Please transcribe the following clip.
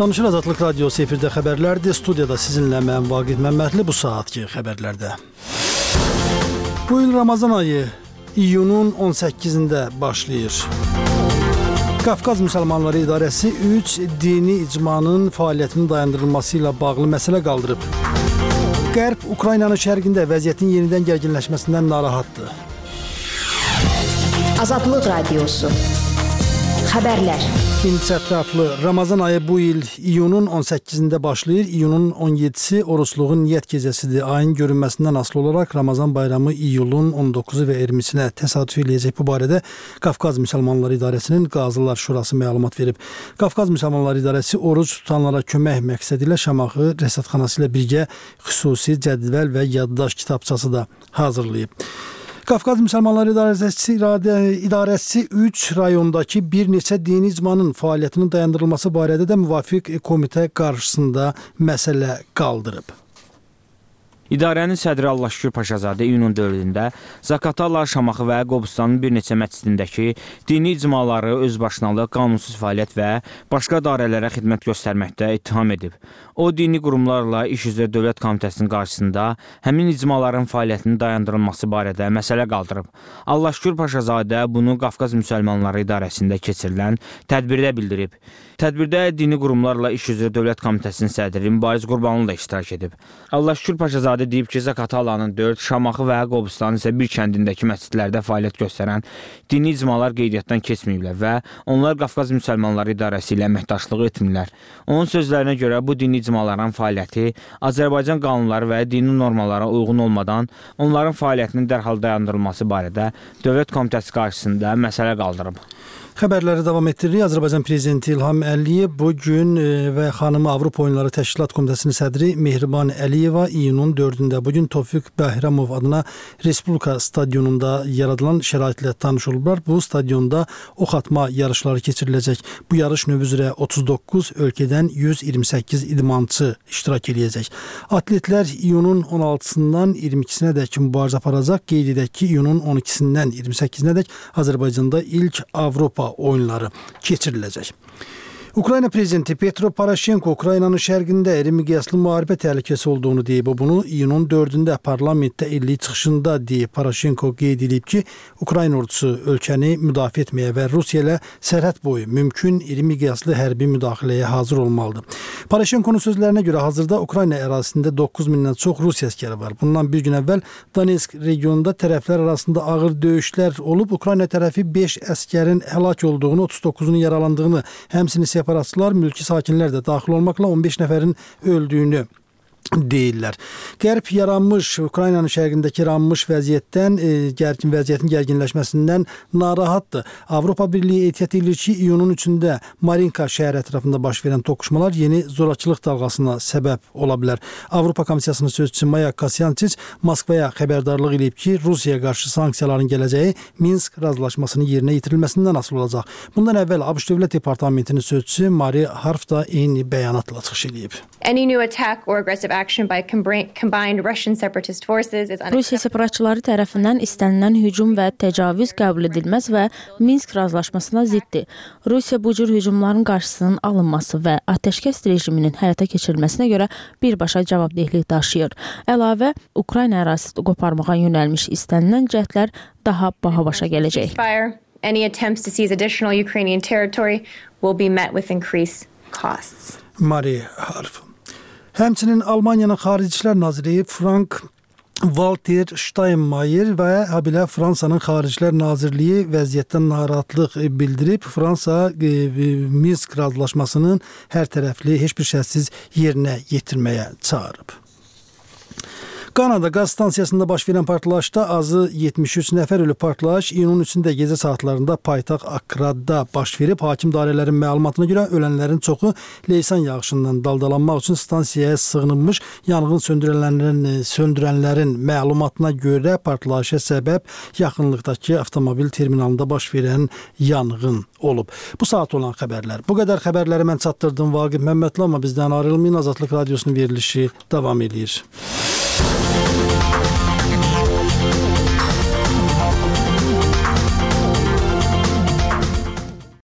Danışır Azadlıq Radiosu efirdə xəbərlərdir. Studiyada sizinlə mən Vaqif Məmmədli bu saatki xəbərlərdə. Bu il Ramazan ayı iyunun 18-də başlayır. Qafqaz Müsəlmanları İdarəsi 3 dini icmanın fəaliyyətinin dayandırılması ilə bağlı məsələ qaldırıb. Qərb Ukraynanın şərqində vəziyyətin yenidən gərginləşməsindən narahatdır. Azadlıq Radiosu xəbərlər. İndi ətraflı Ramazan ayı bu il iyunun 18-də başlayır. İyunun 17-si oruçluğun niyyət gecəsidir. Ayın görünməsindən asılı olaraq Ramazan bayramı iyulun 19-u və 20-sinə təsadüf eləyəcək. Bu barədə Qafqaz Müsəlmanları İdarəsinin Qazılar Şurası məlumat verib. Qafqaz Müsəlmanları İdarəsi oruç tutanlara kömək məqsədi ilə Şamaxı Rəsədxanası ilə birgə xüsusi cədvəl və yaddaş kitabçası da hazırlayıb. Qafqaz Müsəlmanları İdarəsi 3 rayondakı bir neçə dini icmanın fəaliyyətinin dayandırılması barədə də müvafiq komitə qarşısında məsələ qaldırıb. İdarənin sədri Allahşükür Paşazadə iyunun 4-də Zaqatala, Şamaxı və Qobustanın bir neçə məscidindəki dini icmaları özbaşınalıq, qanunsuz fəaliyyət və başqa dairələrə xidmət göstərməkdə ittiham edib. O, dini qurumlarla İş üzrə Dövlət Komitəsinin qarşısında həmin icmaların fəaliyyətinin dayandırılması barədə məsələ qaldırıb. Allahşükür Paşazadə bunu Qafqaz Müsəlmanları İdarəsində keçirilən tədbirdə bildirib. Tədbirdə dini qurumlarla İş üzrə Dövlət Komitəsinin sədri Mübariz Qurbanlı da iştirak edib. Allahşükür Paşazadə deyib ki, Zaqatalanın 4, Şamaxı və Qobustanın isə bir kəndindəki məscidlərdə fəaliyyət göstərən dini icmalar qeydiyyatdan keçməyiblər və onlar Qafqaz Müsəlmanları İdarəsi ilə əməkdaşlıq etmirlər. Onun sözlərinə görə bu dini icmaların fəaliyyəti Azərbaycan qanunları və dini normalara uyğun olmadan onların fəaliyyətinin dərhal dayandırılması barədə Dövlət Komitəsi qarşısında məsələ qaldırıb. Xəbərləri davam etdiririk. Azərbaycan Prezidenti İlham Əliyev bugün və xanımı Avropa Oyunları Təşkilat Komitəsinin sədri Mehriban Əliyeva iyunun 4-də bugün Tofiq Bəhramov adına Respublika stadionunda yaradılan şəraitlə tanış olublar. Bu stadionda ox atma yarışları keçiriləcək. Bu yarış növü üzrə 39 ölkədən 128 idmançı iştirak edəcək. Atletlər iyunun 16-sından 22-sinə dək mübarizə aparacaq. Qeyd edək ki, iyunun 12-sindən 28-nə dək Azərbaycanda ilk Avropa oyunları keçiriləcək. Ukrayna prezidenti Petro Poroshenko Ukraynanın şərqində iri miqyaslı müharibə təhlükəsi olduğunu deyib. O bunu iyunun 4-də parlamentdə illik çıxışında deyib. Poroshenko qeyd edib ki, Ukrayna ordusu ölkəni müdafiə etməyə və Rusiya ilə sərhəd boyu mümkün iri miqyaslı hərbi müdaxiləyə hazır olmalıdır. Poroshenkonun sözlərinə görə hazırda Ukrayna ərazisində 9000-dən çox Rusiya əskəri var. Bundan bir gün əvvəl Donetsk regionunda tərəflər arasında ağır döyüşlər olub. Ukrayna tərəfi 5 əskərin həlak olduğunu, 39-unun yaralandığını, həmçinin separatçılar, mülki sakinlər də daxil olmaqla 15 nəfərin öldüyünü deyirlər. Qərb yaranmış, Ukraynanın şərqindəki yaranmış vəziyyətin gərginləşməsindən narahatdır. Avropa Birliyi ehtiyat edir ki, iyunun 3-də Marinka şəhər ətrafında baş verən toqquşmalar yeni zorakılıq dalğasına səbəb ola bilər. Avropa Komissiyasının sözçüsü Maya Kasyančič Moskvaya xəbərdarlıq edib ki, Rusiyaya qarşı sanksiyaların gələcəyi Minsk razılaşmasının yerinə yetirilməsindən asılı olacaq. Bundan əvvəl ABŞ Dövlət Departamentinin sözçüsü Mari Harf da eyni bəyanatla çıxış edib. Any new attack or aggressive action by combined Russian separatist forces is Rusiya separatçıları tərəfindən istənilən hücum və təcavüz qəbul edilməz və Minsk razılaşmasına ziddir. Rusiya bu cür hücumların qarşısının alınması və atəşkəs rejiminin həyata keçirilməsinə görə birbaşa cavabdehlik daşıyır. Əlavə, Ukrayna ərazisini qoparmağa yönəlmiş istənilən cəhdlər daha baha başa gələcək. Any attempts to seize additional Ukrainian territory will be met with increased costs. Mari Harf. Həmçinin Almaniyanın Xarici İşlər Naziri Frank-Walter Steinmeier və habelə Fransanın Xaricilər Nazirliyi vəziyyətdən narahatlıq bildirib. Fransa Minsk razılaşmasının hər tərəfli, heç bir şərtsiz yerinə yetirməyə çağırıb. Kanada qaz stansiyasında baş verən partlayışda azı 73 nəfər ölüb. Partlayış iyunun 3-də gecə saatlarında paytaxt Akradda baş verib. Hakim dairələrin məlumatına görə ölənlərin çoxu leysan yağışından daldalanmaq üçün stansiyaya sığınılmış. Yanğın söndürənlərin məlumatına görə partlayışa səbəb yaxınlıqdakı avtomobil terminalında baş verən yanğın olub. Bu saat olan xəbərlər. Bu qədər xəbərləri mən çatdırdım Vaqif Məmmədli, amma bizdən ayrılmayın. Azadlıq Radiosunun verilişi davam edir.